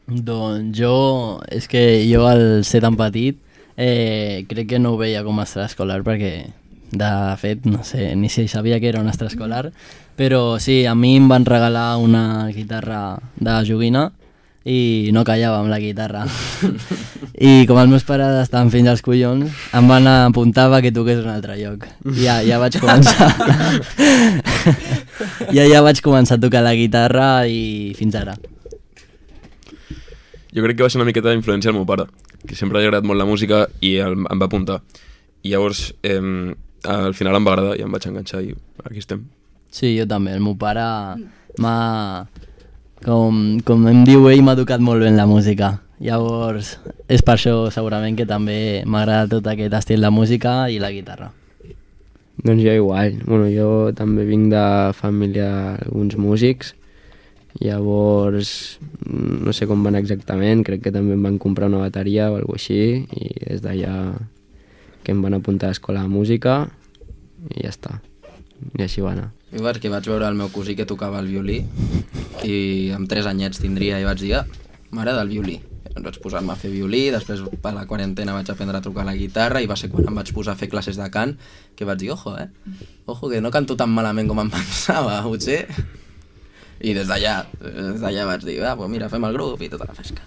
Doncs és que jo al ser tan petit crec que no ho veia com a extraescolar perquè de fet no sé ni si sabia que era un extraescolar, però sí, a mi em van regalar una guitarra de joguina i no callava amb la guitarra. I com els meus pares estaven fins als collons, em van apuntar que toqués un altre lloc. Ja vaig començar. Ja vaig començar a tocar la guitarra i fins ara. Jo crec que va ser una miqueta d'influència del meu pare, que sempre li ha agradat molt la música i em va apuntar. I llavors, al final em va agradar i em vaig enganxar i aquí estem. Sí, jo també. El meu pare m'ha... Com em diu ell, m'ha educat molt bé en la música. Llavors, és per això segurament que també m'agrada tot aquest estil de música i la guitarra. Doncs jo igual. Bueno, jo també vinc de família d'alguns músics. Llavors, no sé com van exactament, crec que també em van comprar una bateria o alguna així i des d'allà que em van apuntar a l'escola de música i ja està. I així va anar. Jo perquè vaig veure el meu cosí que tocava el violí i amb 3 anyets tindria i vaig dir, m'agrada el violí. Em vaig posar-me a fer violí, després per la quarantena vaig aprendre a tocar la guitarra i va ser quan em vaig posar a fer classes de cant que vaig dir, ojo, que no canto tan malament com em pensava, potser. I des d'allà vaig dir, pues mira, fem el grup i tota la pesca.